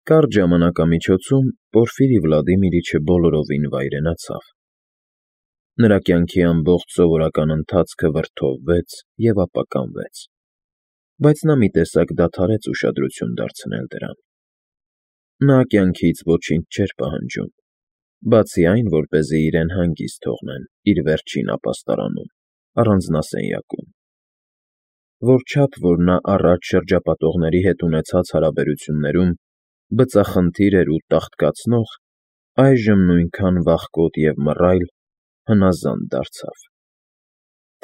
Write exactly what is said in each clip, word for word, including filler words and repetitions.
Կարճ ժամանակամիջոցում Պորֆիրի Վլադիմիրիչը բոլորովին վայրենացավ. նրա կյանքի ամբողջ սովորական ընթացքը վրդովվեց և ապականվեց, բայց նա մի տեսակ դադարեց ուշադրություն դարձնել դրան. նա կյանքից ոչինչ չէր պահանջում, բացի այն, որպեսզի իրեն հանգիստ թողնեն իր վերջին ապաստարանում, առանձնասենյակում, որչափ որ նա առաջ շրջապատողների հետ ունեցած հարաբերություններում բծախնդիր էր ու տաղտկացնող, այժմ նույնքան վախկոտ և մռայլ, հնազանդ դարձավ.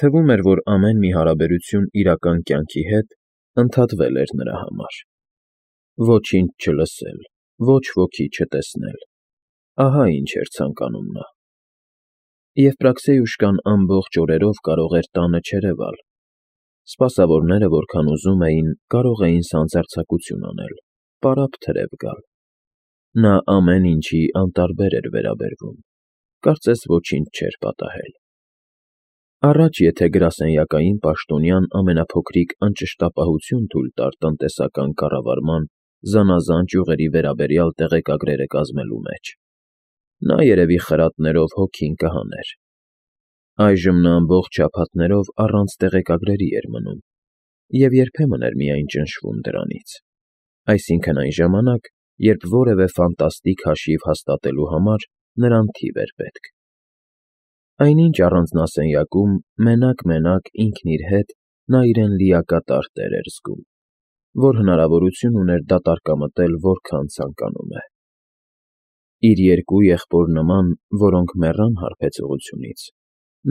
թվում էր, որ ամեն մի հարաբերություն իրական կյանքի հետ ընդհատվել էր նրա համար. ոչինչ չլսել, ոչ ոքի չտեսնել, ահա ինչ էր ցանկանում նա. և Պրաքսեյուշկան ամբողջ օրերով կարող էր տանը չերևալ, սպասավորները որքան ուզում էին, կարող էին սանձարձակություն անել, պարապ թրև գալ. նա ամեն ինչի անտարբեր էր վերաբերվում, կարծես ոչինչ չէր պատահել. առաջ եթե գրասենյակային պաշտոնյան ամենափոքրիկ անճշտապահություն թույլ տար տնտեսական կառավարման զանազան ճյուղերի վերաբերյալ տեղեկագրերը կազմելու մեջ, նա երևի խրատներով հոգին կհաներ. այժմ նա ամբողջ շաբաթներով առանց տեղեկագրերի էր մնում և երբեմն էր միայն ճնշվում դրանից, այսինքն այն ժամանակ, երբ որևէ ֆանտաստիկ հաշիվ հաստատելու համար նրան թիվ էր պետք. այնինչ առանձնասենյակում մենակ֊մենակ ինքն իր հետ նա իրեն լիակատար տեր էր զգում, որ հնարավորություն ուներ դատարկամտել որքան ցանկանում է. իր երկու եղբոր նման, որոնք մեռան հարբեցողությունից,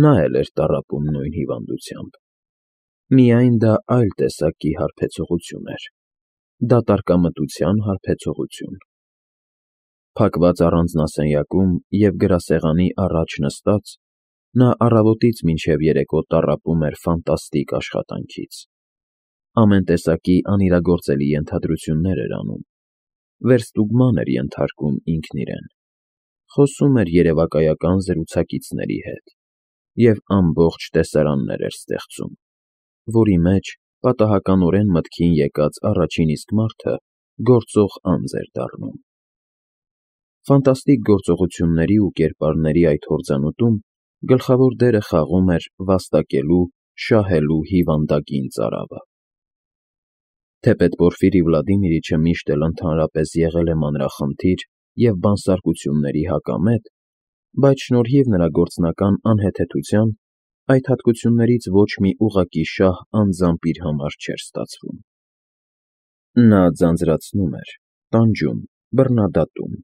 նա էլ էր տառապում նույն հիվանդությամբ, միայն դա այլ տեսակի հարբեցողություն էր, դատարկամտության հարբեցողություն. փակված առանձնասենյակում և գրասեղանի առաջ նստած, նա առավոտից մինչև երեկո տառապում էր ֆանտաստիկ աշխատանքից, ամեն տեսակի անիրագործելի ենթադրություններ էր անում, վերստուգման էր ենթարկում ինքն իրեն, խոսում էր երևակայական զրուցակիցների հետ և ամբողջ տեսարաններ էր ստեղծում, որի մեջ պատահականորեն մտքին եկած առաջին իսկ մարդը գործող անձ էր դառնում. ֆանտաստիկ գործողությունների ու կերպարների այդ հորձանուտում գլխավոր դերը խաղում էր վաստակելու, շահելու հիվանդագին ծարավը. թեպետ Պորֆիրի Վլադիմիրիչը միշտ էլ ընդհանրապես եղել է մանրախնդիր և բանսարկությունների հակամետ, բայց շնորհիվ նրա գործնական անհեթեթության, այդ հատկություններից ոչ մի ուղղակի շահ անձամբ իր համար չէր ստացվում. նա ձանձրացնում էր, տանջում, բռնադատում,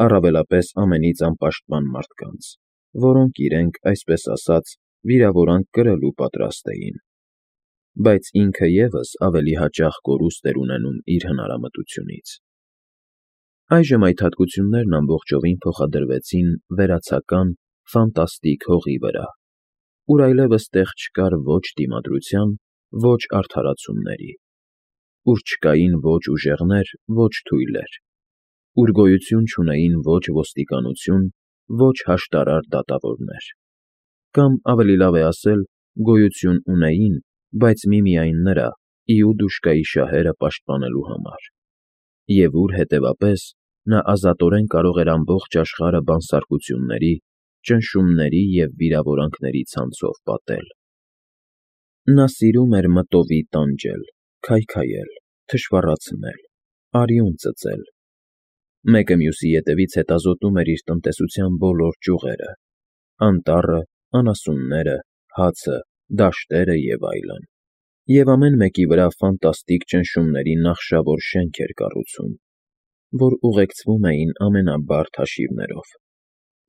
առավելապես ամենից անպաշտպան մարդկանց, որոնք իրենք, այսպես ասած, վիրավորանք կրելու պատրաստ էին, բայց ինքը ևս ավելի հաճախ կորուստ էր ունենում իր հնարամտությունից. այժմ այդ հատկություններն ամբողջովին փոխադրվեցին վերացական, ֆանտաստիկ հողի վրա, ուր այլևս տեղ չկար ոչ դիմադրության, ոչ արդարացումների, ուր չկային ոչ ուժեղներ, ոչ թույլեր, ուր գոյություն չունեին ոչ ոստիկանություն, ոչ հաշտարար դատավորներ, կամ, ավելի լավ է ասել, գոյություն ունեին, բայց միմիայն նրա՝ Իուդուշկայի շահերը պաշտպանելու համար, և ուր, հետևապես, նա ազատորեն կարող էր ամբողջ աշխարհը բանսարկությունների, ճնշումների և վիրավորանքների ցանցով պատել. նա սիրում էր մտովի տանջել, քայքայել, թշվառացնել, արյուն ծծել, մեկը մյուսի ետևից հետազոտում էր իր տնտեսության բոլոր ճյուղերը, անտառը, անասունները, հացը, դաշտերը և այլն, և ամեն մեկի վրա ֆանտաստիկ ճնշումների նախշավոր շենք էր կառուցում, որ ուղեկցվում էին ամենաբարդ հաշիվներով,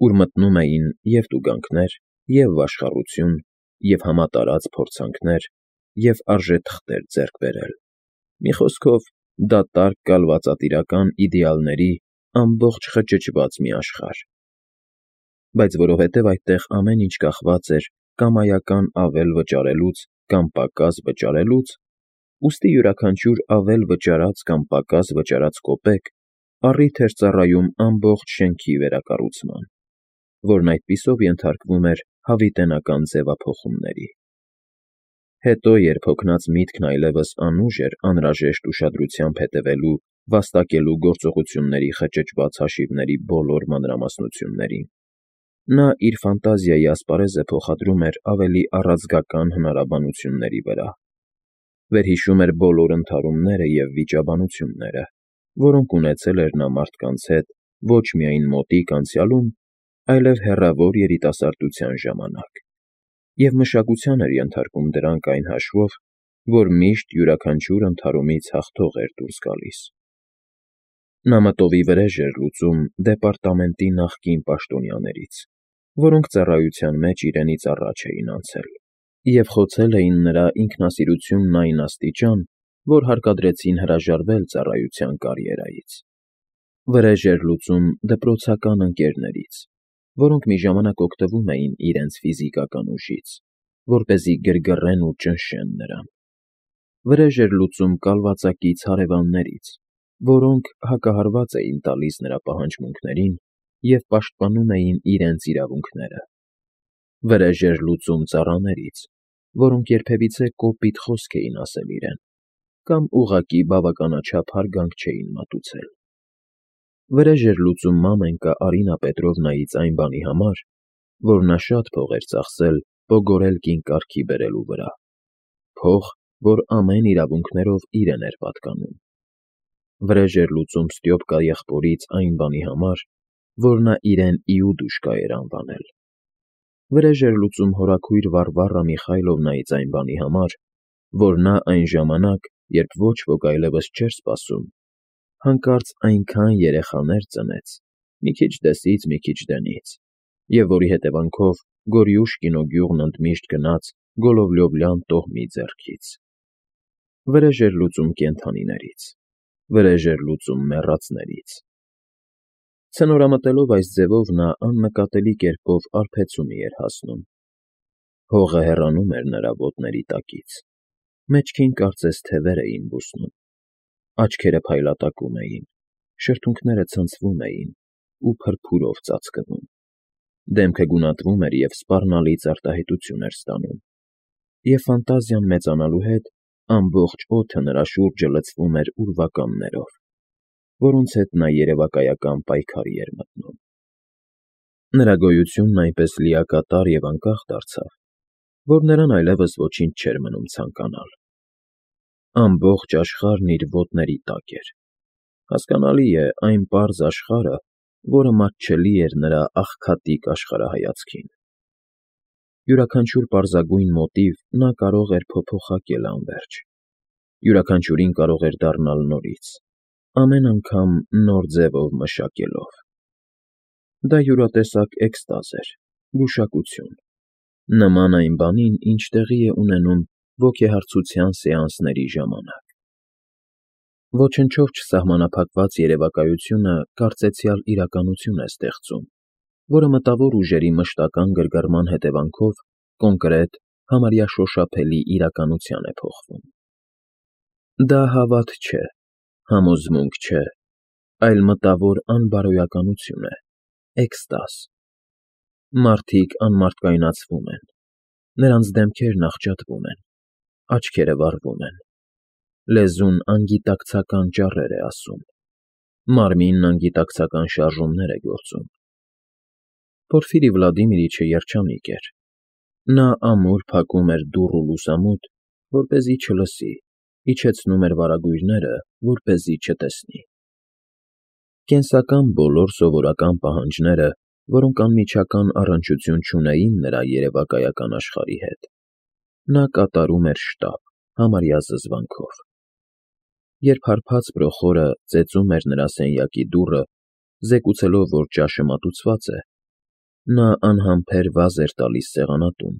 ուր մտնում էին և տուգանքներ, և վաշխառություն, և համատարած փորձանքներ, և արժեթղթեր ձեռք բերել, մի խոսքով, դատարկ կալվածատիրական իդեալների ամբողջ խճճված մի աշխարհ, բայց որովհետև այդտեղ ամեն ինչ կախված էր կամայական ավել վճարելուց կամ պակաս վճարելուց, ուստի յուրաքանչյուր ավել վճարած կամ պակաս վճարած կոպեկ առիթ էր ծառայում ամբողջ շենքի վերակառուցման, որն այդպիսով ենթարկվում էր հավիտենական ձևափոխումների. հետո, երբ հոգնած միտքն այլևս անուժ էր անհրաժեշտ ուշադրությամբ հետևելու վաստակելու գործողությունների խճճված հաշիվների բոլոր մանրամասնություններին։ Նա իր ֆանտազիայի ասպարեզը փոխադրում էր ավելի առաձգական հնարաբանությունների վրա։ Վերհիշում էր բոլոր ընդհարումները և վիճաբանությունները, որոնք ունեցել էր նա մարդկանց հետ ոչ միայն մոտիկ անցյալում, այլև հեռավոր երիտասարդության ժամանակ, և մշակության էր ենթարկում դրանք այն հաշվով, որ միշտ յուրաքանչյուր ընդհարումից հաղթող էր դուրս գալիս։ Նա մտովի վրեժ էր լուծում դեպարտամենտի նախկին պաշտոնյաներից, որոնք ծառայության մեջ իրենից առաջ էին անցել, և խոցել էին նրա ինքնասիրությունն այն աստիճան, որ հարկադրեցին հրաժարվել ծառայության կարիերայից։ Վրեժ էր լուծում դպրոցական ընկերներից, որոնք մի ժամանակ օգտվում էին իրենց ֆիզիկական ուժից, որպեսզի գրգռեն ու ճնշեն նրան։ Վրեժ էր լուծում կալվածակից հարևաններից, որոնք հակահարված էին տալիս նրա պահանջմունքներին և պաշտպանում էին իրենց իրավունքները։ Վրեժ էր լուծում ծառաներից, որոնք երբևիցե կոպիտ խոսք էին ասել իրեն, կամ ուղղակի բավականաչափ հարգանք չէին մատուցել։ Վրեժ էր լուծում մամենկա Արինա Պետրովնայից այն բանի համար, որ նա շատ փող էր ծախսել Պոգորելկին կարգի բերելու վրա, փող, որ ամեն իրավունքներով իրեն էր պատկանում։ Վրեժ էր լուծում Ստյոպկա եղբորից այն բանի համար, որ նա իրեն Իուդուշկա էր անվանել։ Վրեժ էր լուծում հորաքույր Վարվարա Միխայլովնայից այն բանի համար, որ նա այն ժամանակ, երբ ոչ ոք այլևս չէր սպասում, հանկարծ այնքան երեխաներ ծնեց, մի քիչ դեսից, մի քիչ դենից, և որի հետևանքով Գորյուշկինո գյուղն ընդմիշտ գնաց Գոլովլյովլյան տոհմի ձեռքից։ Վրեժ էր լուծում կենդանիներից, վրեժ էր լուծում մեռածներից։ Ցնորամտելով այս ձևով նա աննկատելի կերպով արբեցումի էր հասնում։ Հողը հեռանում էր նրա ոտների տակից, մեջքին կարծես թևեր էին բուսնում, աչքերը փայլատակում էին, շրթունքները ցնցվում էին ու փրփուրով ծածկվում, դեմքը գունատվում էր և սպառնալից արտահայտություն էր ստանում, և ֆանտազիան մեծանալու հետ ամբողջ օդը նրա շուրջը լցվում էր ուրվականներով, որոնց հետ նա երևակայական պայքարի էր մտնում։ Նրա գոյությունն այնպես լիակատար և անկախ դարձավ, որ նրան այլևս ոչինչ չէր մնում ցանկանալ։ Ամբողջ աշխարհն իր ոտների տակ էր։ Հասկանալի է, այն պարզ աշխարհը, որը մատչելի էր նրա աղքատիկ աշխարհայացքին։ Յուրաքանչյուր պարզագույն մոտիվ նա կարող էր փոփոխակել անվերջ, յուրաքանչյուրին կարող էր դառնալ նորից, ամեն անգամ նոր ձևով մշակելով։ Դա յուրատեսակ էկստազ էր, գուշակություն, նման այն բանին, ինչ տեղի է ունենում ոգեհարցության սեանսների ժամանակ։ Ոչնչով չսահմանափակված երևակայությունը կարծեցյալ իրականություն է ստեղծում, որը մտավոր ուժերի մշտական գրգռման հետևանքով կոնկրետ, համարյա շոշափելի իրականության է փոխվում։ Դա հավատ չէ, համոզմունք չէ, այլ մտավոր անբարոյականություն է, էկստազ։ Մարդիկ անմարդկայնացվում են, նրանց դեմքերն աղճատվում են, աչքերը վառվում են, լեզուն անգիտակցական ճառեր է ասում, մարմինն անգիտակցական շարժումներ է գործում։ Պորֆիրի Վլադիմիրիչը երջանիկ էր։ Նա ամուր փակում էր դուռ ու լուսամուտ, որպեսզի չլսի, իջեցնում էր վարագույրները, որպեսզի չտեսնի։ Կենսական բոլոր սովորական պահանջները, որոնք անմիջական առնչություն չունեին նրա երևակայական աշխարհի հետ, նա կատարում էր շտապ, համարյա զզվանքով։ Երբ հարբած պրոխորը ծեծում էր նրա սենյակի դուռը, զեկուցելով, որ ճաշը մատուցված է, նա անհամբեր վազ էր տալիս սեղանատուն,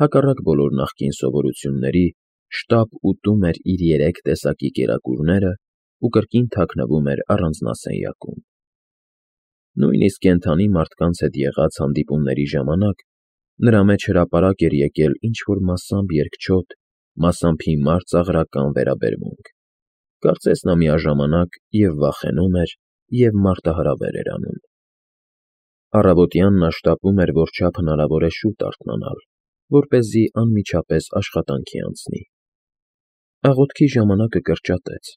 հակառակ բոլոր նախկին սովորությունների, շտապ ուտում էր իր երեք տեսակի կերակուրները ու կրկին թաքնվում էր առանձնասենյակում։ Նույնիսկ կենդանի մարդկանց հետ եղած հանդիպումների ժամանակ նրա մեջ հրապարակ էր եկել ինչ֊որ մասամբ երկչոտ, մասամբ հիմար ծաղրական վերաբերմունք, կարծես նա միաժամանակ և վախենում էր, և մարտահրավեր էր անում։ Առավոտյան նա շտապում էր որչափ հնարավոր է շուտ արթնանալ, որպեսզի անմիջապես աշխատանքի անցնի։ Աղոթքի ժամանակը կրճատեց,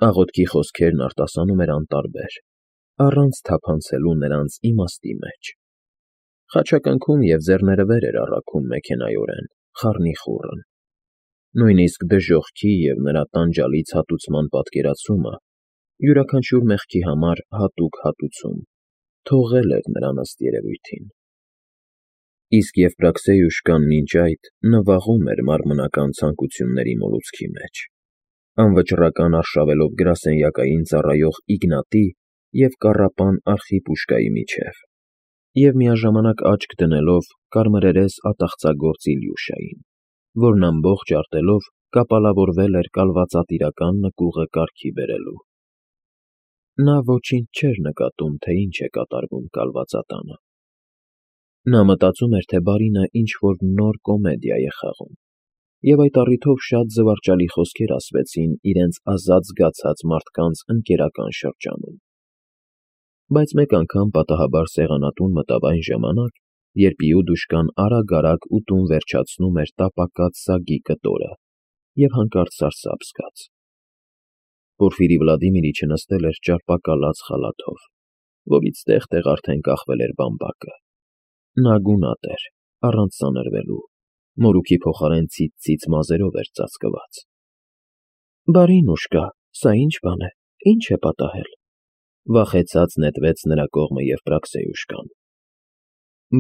Աղոթքի խոսքերն արտասանում էր անտարբեր, առանց թափանցելու նրանց իմաստի մեջ։ Խաչակնքում և ձեռները վեր էր առաքում մեքենայորեն, խառնիխուռն։ Նույնիսկ դժոխքի և նրա տանջալից հատուցման պատկերացումը, յուրաքանչյուր մեղքի համար հատուկ հատուցում, թողել էր նրան ըստ երևույթին։ Իսկ Եվպրաքսեյուշկան մինչ այդ նվաղում էր մարմնական ցանկությունների մոլուցքի մեջ, անվճռական արշավելով գրասենյակային ծառայող Իգնատի և կառապան Արխիպուշկայի միջև և միաժամանակ աչք դնելով կարմրերես ատաղծագործ Իլյուշային, որն ամբողջ արտելով կապալավորվել էր կալվածատիրական նկուղը կարգի բերելու։ Նա ոչինչ չէր նկատում, թե ինչ է կատարվում կալվածատանը։ Նա մտածում էր, թե բարինը ինչ֊որ նոր կոմեդիա է խաղում, և այդ առիթով շատ զվարճալի խոսքեր ասվեցին իրենց ազատ զգացած մարդկանց ընկերական շրջանում։ Բայց մեկ անգամ պատահաբար սեղանատուն մտավ այն ժամանակ, երբ Իուդուշկան արագ֊արագ ուտում վերջացնում էր տապակած սագի կտորը և հանկարծ սարսափ զգաց։ Պորֆիրի Վլադիմիրիչը նստել էր ճարպակալած խալաթով, որից տեղ֊տեղ արդեն կախվել էր բամբակը։ Նա գունատ էր, առանց սանրվելու, մորուքի փոխարեն ցից֊ցից մազերով էր ծածկված։ ֊ Բարի նուշկա, սա ի՞նչ բան է, ի՞նչ է պատահել,֊ վախեցած նետվեց նրա կողմը Եվպրաքսեյուշկան։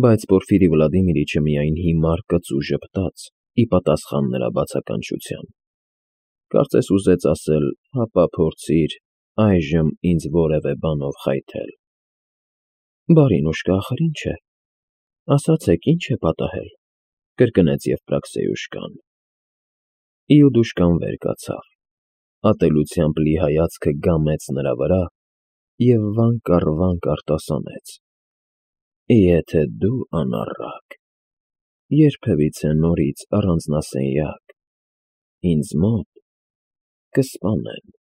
Բայց Պորֆիրի Վլադիմիրիչը միայն հիմար կծու ժպտաց ի պատասխան նրա բացականչության։ Կարծես ուզեց ասել. «Հապա փորձիր այժմ ինձ որևէ բանով խայթել»։ ֊ Բարի նուշկա, ախր ի՞նչ է, ասացեք, ի՞նչ է պատահել,֊ կրկնեց Եվպրաքսեյուշկան։ Իուդուշկան վեր կացավ, ատելությամբ լի հայացքը գամեց նրա վրա և վանք առ վանք արտասանեց. «Եթե դու, անառակ, երբևիցե նորից առանձնասենյակ, ինձ մոտ, կսպանեն»։